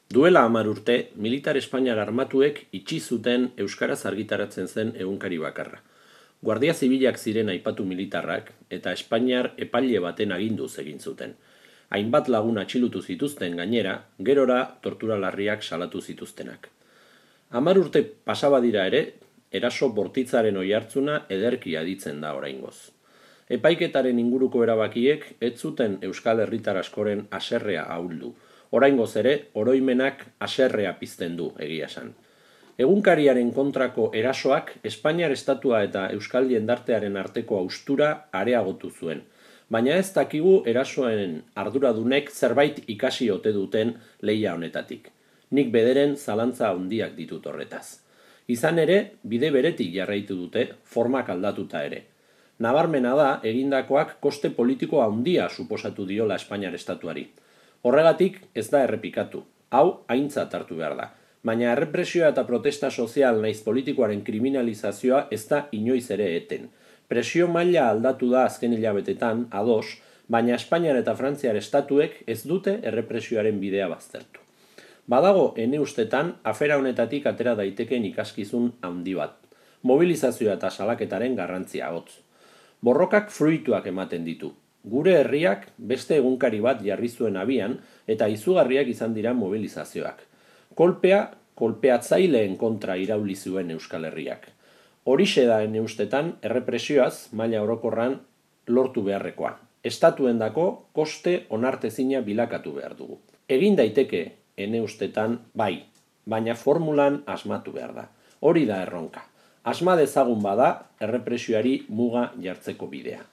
Duela 10 urte, militar espainiar armatuek itxi zuten euskaraz argitaratzen zen egunkari bakarra. Guardia Zibilak ziren aipatu militarrak eta Espainiar epaile baten aginduz egin zuten. Hainbat lagun atxilutu zituzten gainera, gerora tortura larriak salatu zituztenak. 10 urte pasaba dira ere, eraso bortitzaren oihartzuna ederki aditzen da oraingoz. Epaiketaren inguruko erabakiek ez zuten euskal herritar askoren haserrea ahuldu. Oraingoz ere, oroimenak haserrea pizten du, egia esan. Egunkariaren kontrako erasoak Espainiar estatua eta euskal jendartearen arteko haustura areagotu zuen, baina ez dakigu erasoen arduradunek zerbait ikasi ote duten lehia honetatik. Nik bederen zalantza handiak ditut horretaz. Izan ere, bide beretik jarraitu dute, formak aldatuta ere. Nabarmena da, egindakoak koste politiko handia suposatu diola Espainiar estatuari. Horregatik ez da errepikatu, hau aintzat hartu behar da, baina errepresioa eta protesta sozial naiz politikoaren kriminalizazioa ez da inoiz ere eten. Presio maila aldatu da azken hilabetetan, ados, baina Espainiar eta Frantziar estatuek ez dute errepresioaren bidea baztertu. Badago, ene ustetan, afera honetatik atera daiteken ikaskizun handi bat. Mobilizazioa eta salaketaren garrantzia hotz. Borrokak fruituak ematen ditu. Gure herriak beste egunkari bat jarri zuen abian eta izugarriak izan dira mobilizazioak. Kolpeatzaileen kontra irauli zuen Euskal Herriak. Horixe da ene ustetan errepresioaz maila orokorran lortu beharrekoa. Estatuendako koste onartezina bilakatu behar dugu. Egin daiteke ene ustetan bai, baina formulan asmatu behar da. Hori da erronka. Asma dezagun bada errepresioari muga jartzeko bidea.